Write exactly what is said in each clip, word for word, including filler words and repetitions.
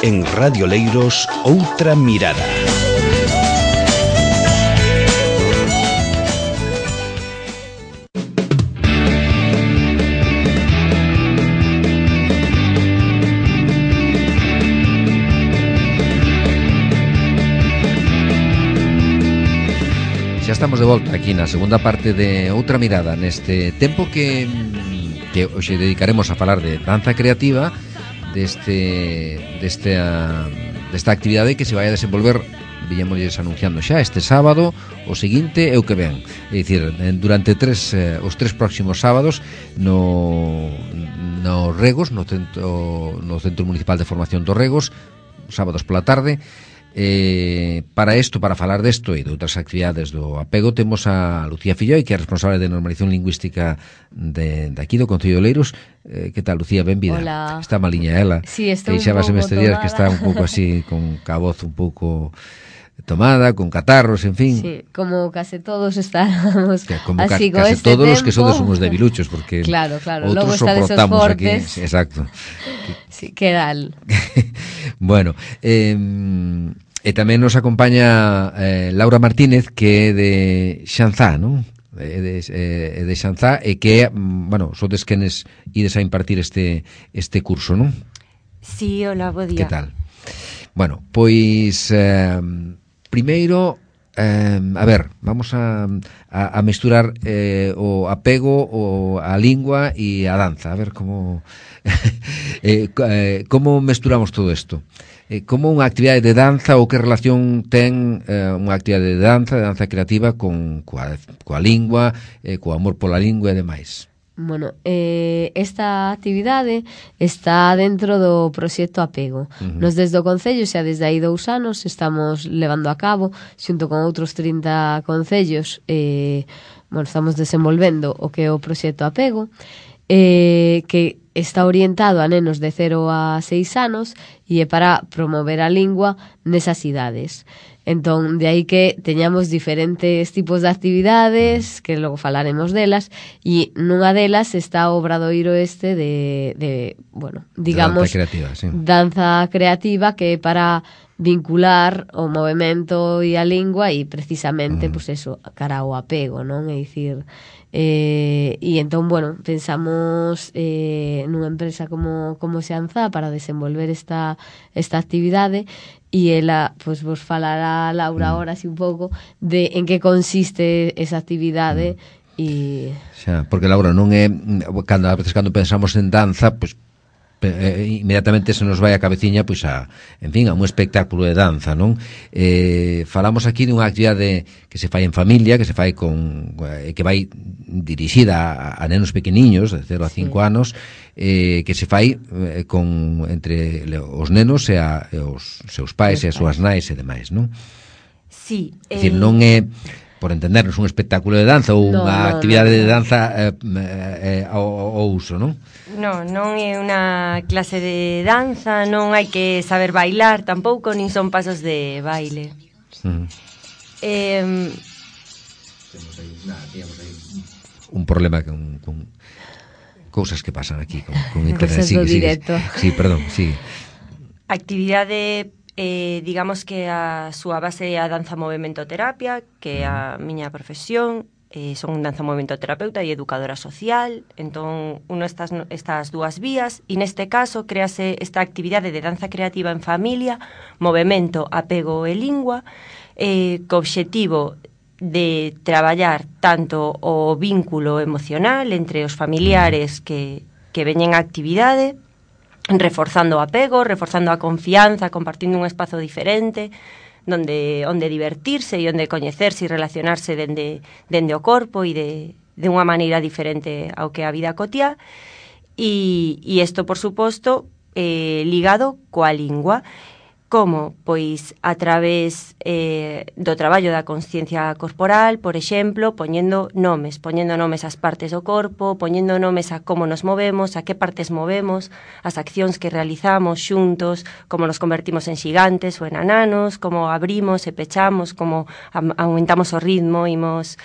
En Radio Leiros, Outra Mirada. Xa estamos de volta aquí na segunda parte de Outra Mirada, neste tempo que, que hoxe dedicaremos a falar de danza creativa, deste, deste, a, desta actividade que se vai a desenvolver, víamos anunciando xa, este sábado, o seguinte e o que ven. É dicir, durante tres, eh, os tres próximos sábados no, no Regos, no centro, no Centro Municipal de Formación dos Regos, sábados pola tarde. Eh, para isto, para falar desto e de outras actividades do apego, temos a Lucía Filloi, que é responsable de normalización lingüística de, de aquí do Concello de Oleiros. Eh, que tal, Lucía? Benvida. Hola. Está maliña ela. Sí, estou un pouco este días que está un pouco así, con ca voz un pouco tomada, con catarros, en fin. Sí, como case todos estábamos que como así ca, con case este todos tempo. os que sodes somos debiluchos, porque claro, claro, outros logo está desos soportamos aquí. fortes. Exacto. Sí, que dal. Bueno, eh, e tamén nos acompaña eh, Laura Martínez, que é de Xanzá, non? É de, é de Xanzá, e que, bueno, sodes quenes ides a impartir este este curso, non? Sí, hola, bo día. Que tal? Bueno, pois eh, primeiro, eh, a ver, vamos a, a, a mesturar eh, o apego, o a lingua e a danza, a ver como eh, eh, como mesturamos todo isto. Eh, como unha actividade de danza, ou que relación ten eh, unha actividade de danza, de danza creativa, con coa, coa lingua, eh, co amor pola lingua e demais? Bueno, eh, esta actividade está dentro do proxecto Apego. Uh-huh. Nos desde o Concello, xa desde aí dous anos, estamos levando a cabo, xunto con outros trinta concellos, eh, bueno, estamos desenvolvendo o que é o proxecto Apego, eh, que está orientado a nenos de cero a seis anos e é para promover a lingua nesas idades. Entón, de aí que teñamos diferentes tipos de actividades, que logo falaremos delas, e nunha delas está o obradoiro este de, de bueno, digamos, danza creativa, sí. danza creativa, que é para vincular o movemento e a lingua e precisamente, mm. pois pues eso, cara ao apego, non? É dicir, eh, e entón, bueno, pensamos eh, nunha empresa como, como Xanzá para desenvolver esta, esta actividade, e ela, pois, pues, vos falará Laura agora así un pouco de en que consiste esa actividade. Mm. E xa, porque Laura, non é cando a veces cando pensamos en danza, pois pues, Eh, inmediatamente se nos vai a cabeciña pois a, en fin, a un espectáculo de danza, non? Eh, falamos aquí dunha actividade que se fai en familia, que se fai con eh, que vai dirixida a, a nenos pequeniños de cero a cinco sí. anos, eh, que se fai eh, con entre os nenos e, a, e os seus pais e as súas nais e demais, non? Sí, é dicir, non é, por entendernos, un espectáculo de danza ou no, unha no, actividade no, no. de danza eh, eh, ao, ao uso, non? Non, non é unha clase de danza, non hai que saber bailar tampouco, nin son pasos de baile. Uh-huh. Eh, temos aí, nada, temos aí un problema con, con cousas que pasan aquí con, con internet. Sí, sí, sí, perdón, sí. Actividade, eh, digamos que a súa base é a danza movimento-terapia, que é a miña profesión. Eh, son danza movimento-terapeuta e educadora social, entón uno estas, estas dúas vías, e neste caso créase esta actividade de danza creativa en familia, movemento, apego e lingua, eh, co obxectivo de traballar tanto o vínculo emocional entre os familiares que, que veñen a actividade, reforzando o apego, reforzando a confianza, compartindo un espazo diferente, donde onde divertirse e onde coñecerse e relacionarse dende, dende o corpo e de, de unha maneira diferente ao que a vida cotiá, e, e isto, por suposto, eh, ligado coa lingua. Como? Pois a través eh, do traballo da consciencia corporal, por exemplo, poñendo nomes, poñendo nomes ás partes do corpo, poñendo nomes a como nos movemos, a que partes movemos, as accións que realizamos xuntos, como nos convertimos en xigantes ou en ananos, como abrimos e pechamos, como aumentamos o ritmo, imos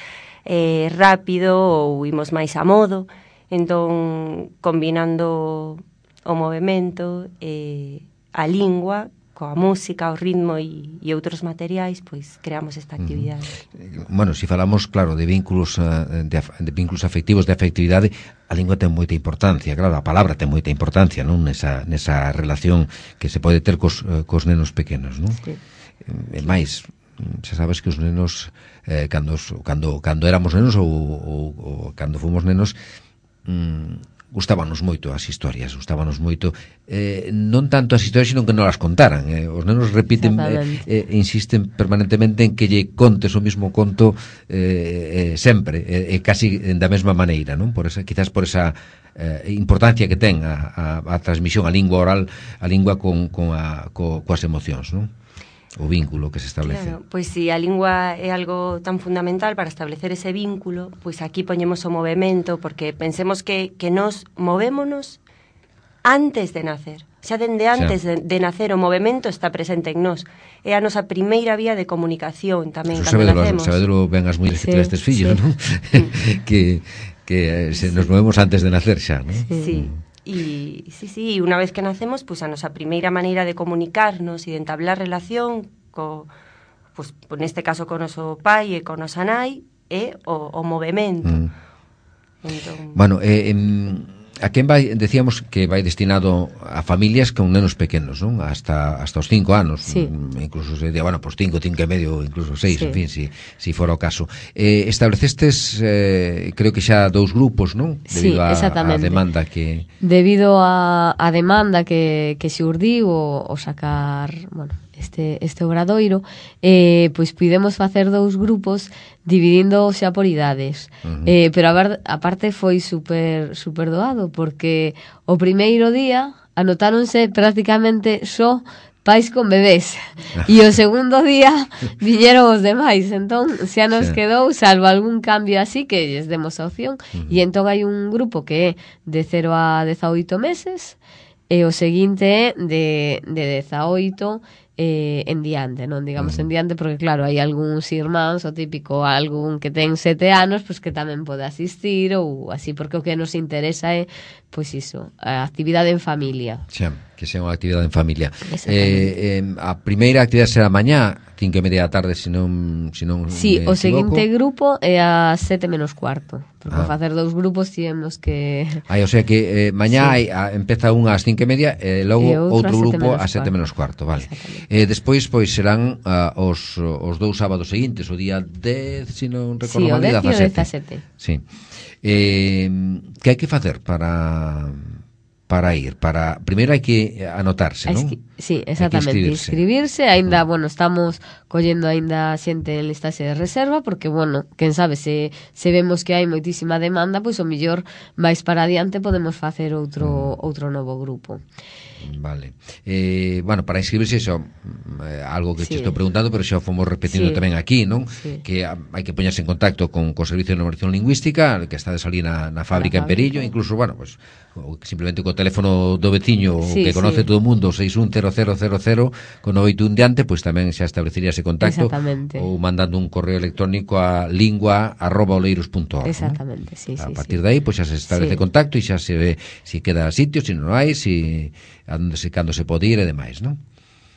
eh, rápido ou imos máis a modo. Entón, combinando o movimento e a lingua, coa música, o ritmo e, e outros materiais, pois creamos esta actividade. Uh-huh. Bueno, se si falamos, claro, de vínculos uh, de, de vínculos afectivos, de afectividade, a lingua ten moita importancia, claro, a palabra ten moita importancia, non, nesa, nesa relación que se pode ter cos, uh, cos nenos pequenos, non? Sí. E máis, xa sabes que os nenos eh, cando, cando, cando éramos nenos ou, ou, ou cando fomos nenos, mm, gustábanos moito as historias, gustábanos moito eh, non tanto as historias, sino que non as contaran, eh. Os nenos repiten eh, eh, insisten permanentemente en que lle contes o mismo conto eh, eh, sempre, e eh, casi da mesma maneira, non? Por esa, quizás por esa eh, importancia que ten a, a, a transmisión, a lingua oral, a lingua con, con a, co, coas emocións, non? O vínculo que se establece. Claro, pois se a lingua é algo tan fundamental para establecer ese vínculo, pois aquí poñemos o movemento, porque pensemos que, que nos movémonos antes de nacer. Xa dende antes de, de nacer o movemento está presente en nós. É a nosa primeira vía de comunicación tamén. Eso cando nacemos. Sabedelo ben as mulleres sí, que tiran estes fillos, sí. Non? que, que se nos movemos antes de nacer xa, non? Sí, sí. E sí, sí, unha vez que nacemos, pois a nosa primeira maneira de comunicarnos e de entablar relación co, pois, neste caso con o noso pai e con nosa nai é o, o movemento. Mm. Entón... Bueno, eh, en... a quen vai, decíamos que vai destinado a familias con nenos pequenos, non? Hasta hasta os cinco anos, sí. Incluso se di, bueno, pois cinco, cinco e medio, incluso seis, sí. En fin, si, si fora o caso. Eh, establecestes, eh, creo que xa dous grupos, non? Debido sí, exactamente. A, a demanda que... Debido a, a demanda que, que se urdiu o, o sacar, bueno, este, este obradoiro, eh, pois pudemos facer dous grupos dividindo xa por idades. Uh-huh. Eh, pero a ver, aparte foi super, super doado, porque o primeiro día anotáronse prácticamente só pais con bebés e o segundo día viñeron os demais, entón xa nos sí. quedou, salvo algún cambio así que lles demos a opción. Uh-huh. E entón hai un grupo que é de cero a dezaoito meses e o seguinte é de, de dezaoito eh, en diante, non digamos uh-huh. en diante, porque claro, hai algúns irmáns, o típico algún que ten sete anos, pois que tamén pode asistir ou así, porque o que nos interesa é pois iso, a actividade en familia. Xa, que sea unha actividade en familia. Eh, eh, a primeira actividade será mañá, cinco e media da tarde, se non se non sí, o seguinte grupo é a sete menos cuarto, porque ah. facer dous grupos temos que... Ai, o sea que eh, mañá sí. hai, a, empeza unha ás cinco e media e logo e outro, outro grupo ás sete menos cuarto, vale. Eh, despois, pois, serán uh, os, os dous sábados seguintes, o día dez, se non recordo sí, mal, dez e o dezasete. Sí. Eh, que hai que facer para... para ir, para primeiro hai que anotarse, non? Sí, exactamente, inscribirse. inscribirse, aínda, bueno, estamos collendo aínda xente en listaxe de reserva, porque, bueno, quen sabe, se, se vemos que hai moitísima demanda, pois o mellor máis para adiante podemos facer outro, mm. outro novo grupo. Vale. Eh, bueno, para inscribirse iso eh, algo que sí. te estou preguntando, pero xa fomos repetindo sí. tamén aquí, non? Sí. Que hai que poñerse en contacto con o Servicio de Normalización Lingüística, que está de salir na, na fábrica en Perillo, incluso, bueno, pues simplemente co teléfono do veciño sí, que conoce sí. todo o mundo, seis un cero cero cero cero con oito un diante, pois tamén xa establecería ese contacto, ou mandando un correo electrónico a lingua arroba oleiros punto org. Exactamente, ¿no? sí, a sí. A partir sí. de aí, pois xa se establece sí. contacto e xa se ve si queda sitio, si non hai, si onde se, cando se pode ir e demais, non?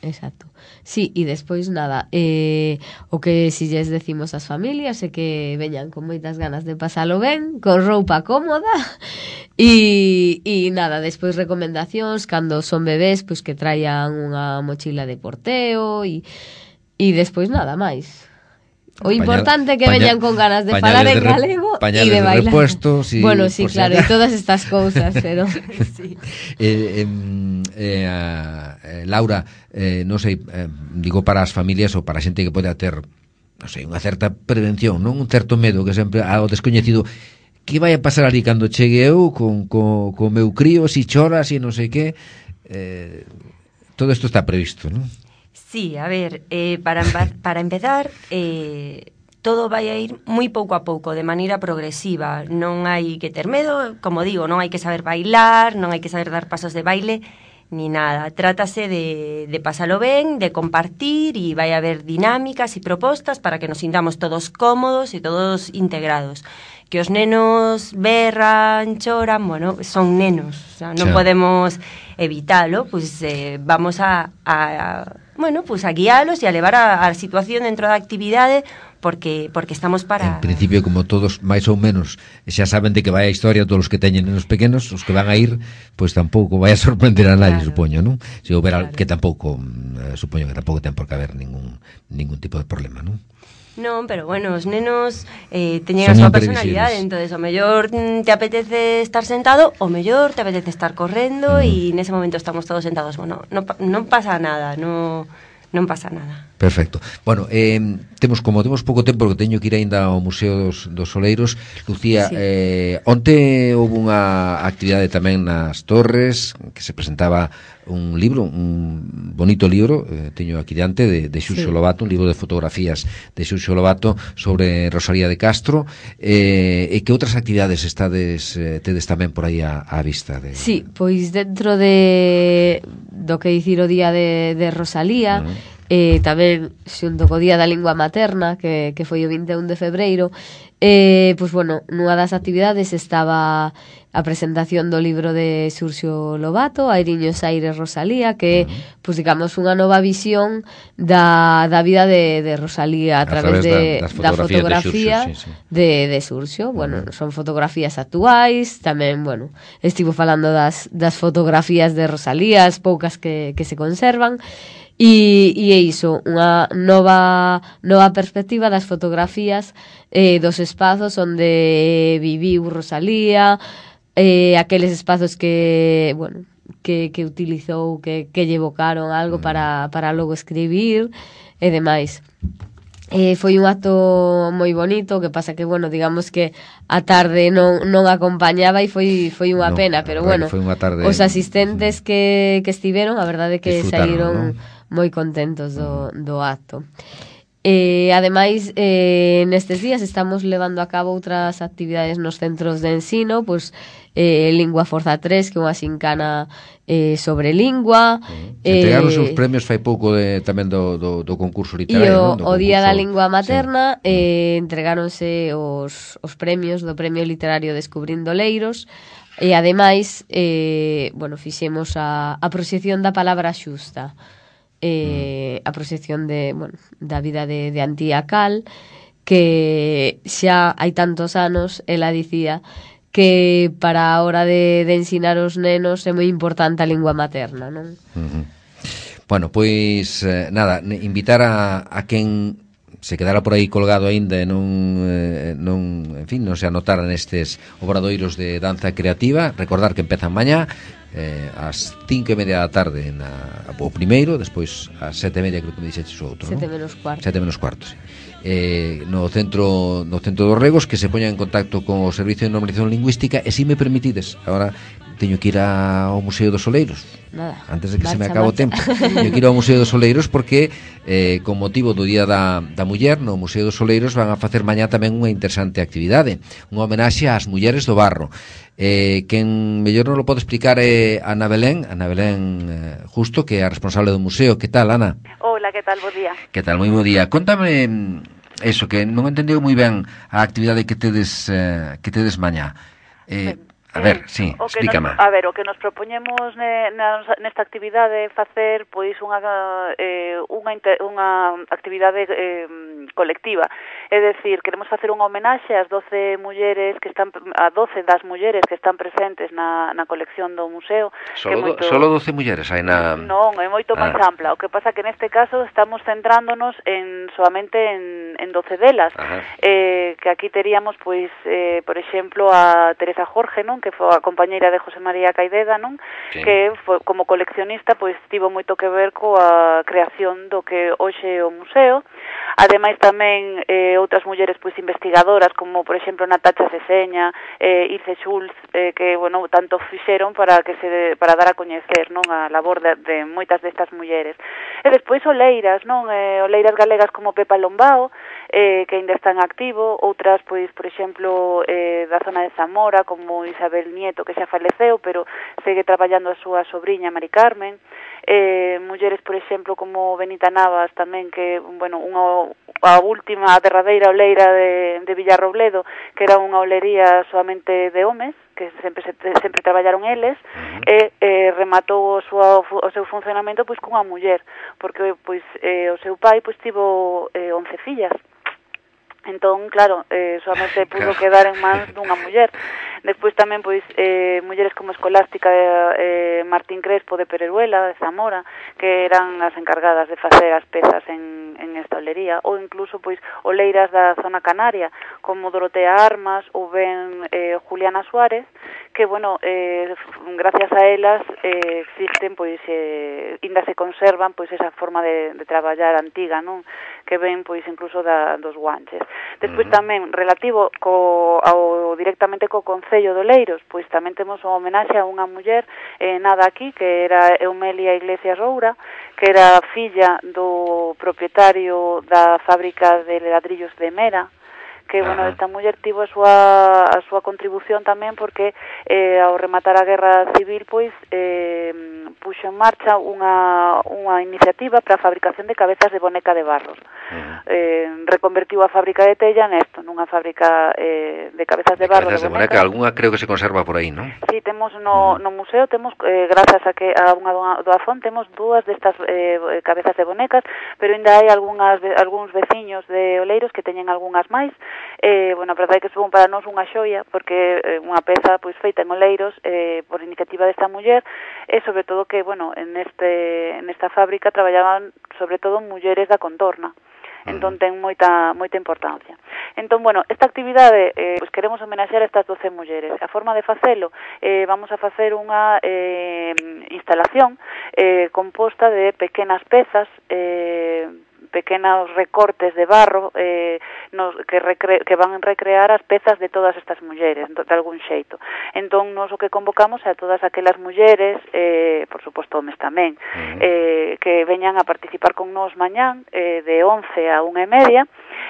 Exacto. Sí, e despois nada, eh, o que si lles decimos ás familias é que veñan con moitas ganas de pasalo ben, con roupa cómoda e, e nada, despois recomendacións cando son bebés, pois que traian unha mochila de porteo e, e despois nada máis. O importante é que veñan con ganas de falar en galego e de bailar. Repuesto, si, bueno, sí, claro, e todas estas cousas, pero sí. eh, eh, eh, eh, Laura, eh, non sei, eh, digo para as familias ou para a xente que pode ter, non sei, unha certa prevención, non un certo medo que sempre ao descoñecido, que vai a pasar ali cando chegue eu con co, co meu crío, si chora, si non sei que, eh, todo isto está previsto, non? Sí, a ver, eh, para, para empezar, eh, todo vai a ir moi pouco a pouco, de maneira progresiva. Non hai que ter medo, como digo, non hai que saber bailar, non hai que saber dar pasos de baile, ni nada. Trátase de, de pasalo ben, de compartir, e vai a haber dinámicas e propostas para que nos sintamos todos cómodos e todos integrados. que os nenos berran, choran, bueno, son nenos, o sea, non Xa. podemos evitalo, pois eh, vamos a, a, bueno, pois a guialos e a levar a, a situación dentro da actividade porque porque estamos para... En principio, como todos, máis ou menos, xa saben de que vai a historia, todos os que teñen nenos pequenos, os que van a ir, pois tampouco vai a sorprender a nadie, Claro. supoño, non? Se houber Claro. al- que tampouco, eh, supoño que tampouco ten por que haber ningún ningún tipo de problema, non? Non, pero bueno, os nenos eh, teñen Son a súa imprevisibles. personalidade, entonces o mellor mm, te apetece estar sentado, o mellor te apetece estar correndo e Mm. nese momento estamos todos sentados. Bueno, non, pa- non pasa nada, non, non pasa nada. Perfecto. Bueno, eh, temos como temos pouco tempo porque teño que ir aínda ao Museo dos, dos Oleiros. Lucía, Sí. eh, onte houve unha actividade tamén nas Torres que se presentaba un libro, un bonito libro, eh, teño aquí diante de, de Xuxo Sí. Lobato, un libro de fotografías de Xuxo Lobato sobre Rosalía de Castro, eh, e que outras actividades estades eh, tedes tamén por aí á, á vista de... Sí, pois dentro de do que dicir o día de, de Rosalía, Uh-huh. eh, tamén xunto co día da lingua materna, que, que foi o vinte e un de febreiro, eh, pois bueno, nunha das actividades estaba a presentación do libro de Xurxo Lobato, Airiños Aires Rosalía, que é, pois digamos, unha nova visión da, da vida de, de Rosalía a, A través, través de, da- das da fotografías de fotografía Xurxo, sí, sí. de, de Xurxo. Bueno, son fotografías actuais, tamén, bueno, estivo falando das, das fotografías de Rosalía, as poucas que, que se conservan, e, e é iso, unha nova nova perspectiva das fotografías eh, dos espazos onde viviu Rosalía, eh, aqueles espazos que, bueno, que, que utilizou, que, que lle evocaron algo para, para logo escribir e demais. Eh, foi un acto moi bonito, que pasa que, bueno, digamos que a tarde non, non acompañaba e foi foi unha Non, pena, a pero verdade bueno, que foi unha tarde- os asistentes que, que estiveron, a verdade que Disfrutaron, saíron non? moi contentos do, do acto. Eh, ademais, eh, nestes días estamos levando a cabo outras actividades nos centros de ensino, pois eh, Lingua Forza tres, que é unha xincana eh, sobre lingua. Se entregaron os seus eh, premios fai pouco de, tamén do, do, do concurso E literario, o, non? Do o Día concurso- da Lingua Materna Sí. eh, entregáronse os, os premios do Premio Literario Descubrindo Leiros e ademais eh, bueno, fixemos a, a proxección da palabra xusta, eh, a proxección de, bueno, da vida de, de Antía Cal, que xa hai tantos anos ela dicía que para a hora de, de ensinar os nenos é moi importante a lingua materna, non? Ujú. Bueno, pois eh, nada, ne- invitar a, a quen se quedara por aí colgado aínda e non, eh, non, en fin, non se anotara nestes obradoiros de danza creativa, recordar que empezan mañá eh, ás cinco e media da tarde na, o primeiro, despois ás sete e media creo que me dixeches o outro, Sete non? menos cuarto. Sete menos cuarto, sí. Eh, no centro no centro dos Regos, que se poña en contacto con o Servicio de Normalización Lingüística, e si me permitides, agora teño que ir ao Museo dos Oleiros. Nada. Antes de que se me Marcha, acabe o marcha. tempo, teño que ir ao Museo dos Oleiros porque eh, con motivo do Día da, da Muller no Museo dos Oleiros van a facer mañá tamén unha interesante actividade, unha homenaxe ás mulleres do barro. Eh, quen mellor non lo pode explicar é Ana Belén, Ana Belén eh, Justo, que é a responsable do museo. Que tal, Ana? Hola, que tal? Bo día. Que tal? Moi bo día. Contame mm, eso, que non entendeu moi ben a actividade que tedes eh, que tedes mañá. Eh, a ver, sí, O que explícame. nos, a ver, o que nos propoñemos ne, na, nesta actividade facer pois unha eh, unha, inter, unha actividade eh, colectiva. É dicir, queremos facer unha homenaxe ás doce mulleres que están a doce das mulleres que están presentes na, na colección do museo. Solo, que do, moito, solo doce mulleres hai na... Non, é moito máis Ah. ampla. O que pasa que neste caso estamos centrándonos en solamente en, en doce delas. Ajá. Eh, que aquí teríamos, pois, eh, por exemplo, a Teresa Jorge, non? Que foi a compañeira de José María Caideda, non? Sí. Que foi, como coleccionista, pois, tivo moito que ver coa creación do que hoxe é o museo. Ademais, tamén eh, outras mulleres, pois, investigadoras, como, por exemplo, Natacha Seseña, eh, Ilse Schulz, eh, que, bueno, tanto fixeron para que se para dar a coñecer, non? A labor de, de moitas destas mulleres. E despois oleiras, non? Eh, oleiras galegas como Pepa Lombao, eh, que ainda están activo, outras, pois, por exemplo, eh, da zona de Zamora, como Isabel Nieto, que xa faleceu, pero segue traballando a súa sobriña Mari Carmen, eh, mulleres, por exemplo, como Benita Navas tamén, que, bueno, unha, a última, a derradeira oleira de, de Villarrobledo, que era unha olería solamente de homes, que sempre se, sempre traballaron eles, uh-huh. e eh, rematou o, súa, o seu funcionamento pois cunha muller, porque pois eh, o seu pai pois tivo eh, once fillas. Entón, claro, eh, solamente pudo quedar en mans dunha muller. Despois tamén, pois, eh, mulleres como Escolástica eh, Martín Crespo de Pereruela, de Zamora, que eran as encargadas de facer as pezas en, en esta olería, ou incluso, pois, oleiras da zona canaria, como Dorotea Armas ou ben eh, Juliana Suárez, que, bueno, eh, gracias a elas eh, existen, pois, eh, ainda se conservan, pois, esa forma de, de traballar antiga, non? Que ven, pois, incluso da, dos guanches. Despois uh-huh. tamén, relativo co, ao, directamente co Concello de Oleiros, pois tamén temos unha homenaxe a unha muller eh, nada aquí, que era Eumelia Iglesias Roura, que era filla do propietario da fábrica de ladrillos de Mera, que, bueno, uh-huh. esta muller tivo a súa, a súa contribución tamén porque eh, ao rematar a Guerra Civil, pois, eh, puxo en marcha unha, unha iniciativa para a fabricación de cabezas de boneca de barros. Uh-huh. Eh, reconvertiu a fábrica de Tella nesto, nunha fábrica eh, de cabezas de, de barro. Cabezas de, de boneca, algunha creo que se conserva por aí, non? Sí, temos no, uh-huh. no museo, temos, eh, grazas a que a unha doazón, temos dúas destas eh, cabezas de bonecas, pero ainda hai algunhas, algúns veciños de Oleiros que teñen algunhas máis. Eh, bueno, a verdade é que son para nós unha xoia, porque eh, unha peza pois feita en Oleiros eh, por iniciativa desta muller, e sobre todo que, bueno, en este nesta fábrica traballaban sobre todo mulleres da contorna. Entón ten moita moita importancia. Entón, bueno, esta actividade eh, pois queremos homenaxear a estas doce mulleres. A forma de facelo, eh, vamos a facer unha eh, instalación eh, composta de pequenas pezas, eh, pequenos recortes de barro eh, nos, que, recre, que van a recrear as pezas de todas estas mulleres, de algún xeito. Entón, nos o que convocamos é a todas aquelas mulleres, eh, por suposto, homes tamén, uh-huh. eh, que veñan a participar con nós mañán, eh, de once a unha e media,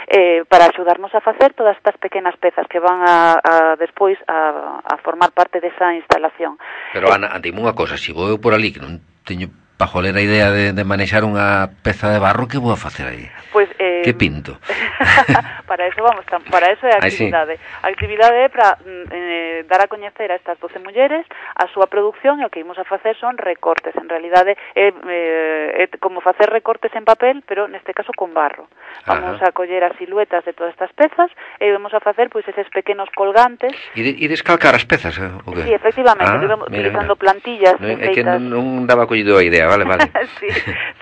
eh, para axudarnos a facer todas estas pequenas pezas que van a, a despois a, a formar parte desa instalación. Pero, Ana, dime unha cosa, se vou eu por ali, que non teño pajolera idea de, de manexar unha peza de barro, que vou a facer aí? Pois, eh, que pinto? para eso vamos, para eso é a actividade. Ay, sí. A actividade é para eh, dar a coñecer a estas doce mulleres a súa produción, e o que imos a facer son recortes. En realidade é, eh, é como facer recortes en papel, pero neste caso con barro. Vamos Ajá. a coller as siluetas de todas estas pezas e vamos a facer pois eses pequenos colgantes. E, de, e descalcar as pezas, eh? O que? Sí, efectivamente, ah, mira, utilizando mira. plantillas. No, é que non, non daba collido a idea, vale, vale. Sí,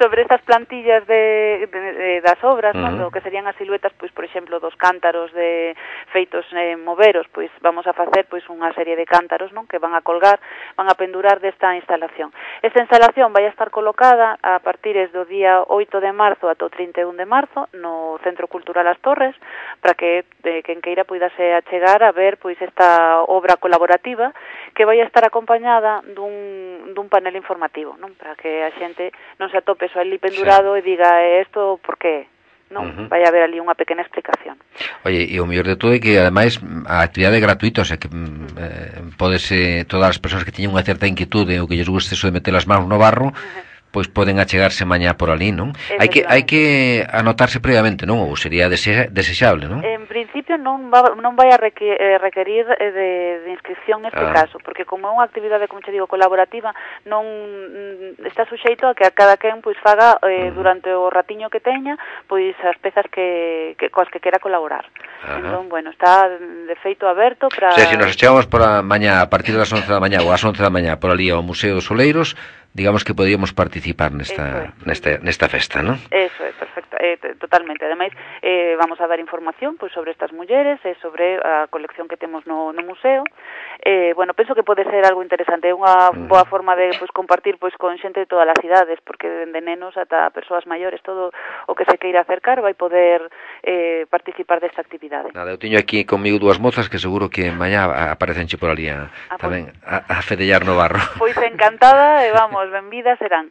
sobre estas plantillas de, de, de das obras, uh-huh. ¿no? Que serían as siluetas, pois, por exemplo, dos cántaros de feitos eh, moveros, pois vamos a facer pois unha serie de cántaros, non, que van a colgar, van a pendurar desta instalación. Esta instalación vai a estar colocada a partir do día oito de marzo ata o trinta e un de marzo no Centro Cultural As Torres, para que eh, quen queira poidase achegar a ver pois esta obra colaborativa que vai a estar acompañada dun, dun panel informativo, non, para que a xente non se atope só ali pendurado sí. e diga isto por que, non? Uh-huh. Vai haber ali unha pequena explicación. Oye, e o mellor de todo é que ademais a actividade é gratuita, o sea que eh, podese, todas as persoas que teñen unha certa inquietude ou que lles guste eso de meter as mãos no barro, uh-huh. pois poden achegarse mañá por ali, non? Hai que hai que anotarse previamente, non? Ou sería dese, desexable, non? En principio non va, non vai a requerir, eh, requerir de, de inscripción neste ah. caso, porque como é unha actividade, como che digo, colaborativa, non está suxeito a que a cada quen pois faga eh, uh-huh. durante o ratiño que teña, pois as pezas que, que coas que quera colaborar. Uh-huh. Entón, bueno, está de feito aberto para... O sea, se nos achegamos por a mañá, a partir das once da mañá ou ás once da mañá por ali ao Museo dos Oleiros, digamos que podíamos participar nesta es. nesta nesta festa, ¿no? Eso é, perfecto, eh, totalmente. Ademais, eh, vamos a dar información pois sobre estas mulleres e sobre a colección que temos no, no museo. Eh, bueno, penso que pode ser algo interesante, é unha uh-huh. boa forma de pois compartir pois con xente de todas as idades, porque dende nenos ata persoas maiores, todo o que se queira acercar vai poder eh, participar desta actividade. Nada, eu teño aquí comigo dúas mozas que seguro que mañá aparecenche por ali a, ah, tamén pues, a, a fedellar no barro. Pois encantada e vamos, benvidas serán.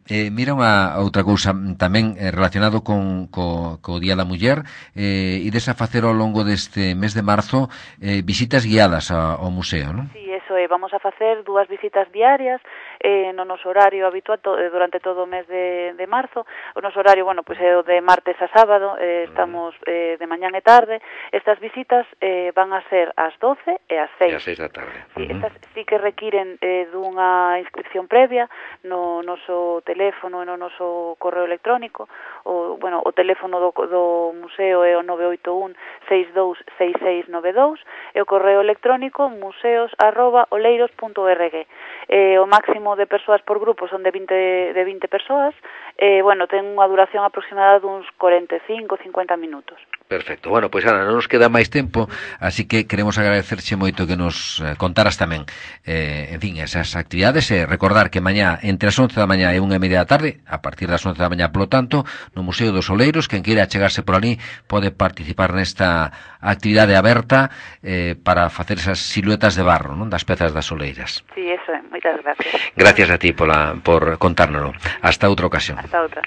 Eh, mira unha outra cousa tamén eh, relacionado con co, co Día da Muller, eh, ides a facer ao longo deste mes de marzo eh, visitas guiadas a, ao museo, non? Sí, eso é, vamos a facer dúas visitas diarias eh, no noso horario habitual to, eh, durante todo o mes de, de marzo. O noso horario, bueno, pois é o de martes a sábado, eh, estamos eh, de mañán e tarde. Estas visitas eh, van a ser ás doce e ás seis. E ás seis da tarde. Sí, Uh-huh. estas sí que requiren eh, dunha inscripción previa no noso teléfono e no noso correo electrónico. O, bueno, o teléfono do, do museo é o nove oito un seis dous seis seis nove dous e o correo electrónico museos arroba oleiros punto org. Eh, o máximo de persoas por grupo son de vinte, de vinte persoas. Eh, bueno, ten unha duración aproximada duns cuarenta e cinco a cincuenta minutos. Perfecto. Bueno, pois Ana, non nos queda máis tempo, así que queremos agradecerche moito que nos eh, contaras tamén eh, en fin, esas actividades e recordar que mañá entre as once da mañá e unha e media da tarde, a partir das once da mañá, polo tanto, no Museo dos Oleiros, quen queira chegarse por ali pode participar nesta actividade aberta eh, para facer esas siluetas de barro, non, das pezas das oleiras. Sí, eso é. Moitas gracias. Gracias a ti pola, por contárnoslo. Hasta outra ocasión. Hasta outra.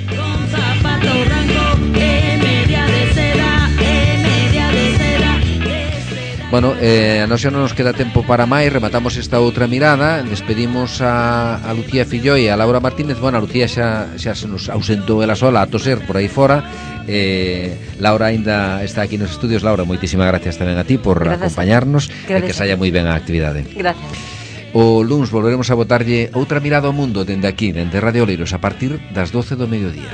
Con zapato blanco e media de seda, e media de seda, de seda. Bueno, eh, a nós xa non nos queda tempo para máis. Rematamos esta outra mirada. Despedimos a, a Lucía Filloi e a Laura Martínez. Bueno, a Lucía xa, xa se nos ausentou ela sola a toser por aí fora. eh, Laura aínda está aquí nos estudios. Laura, moitísimas gracias tamén a ti por Gracias. acompañarnos. Gracias. E que saia moi ben a actividade. Gracias. O luns volveremos a botarlle outra mirada ao mundo dende aquí, dende Radio Oleiros, a partir das doce do mediodía.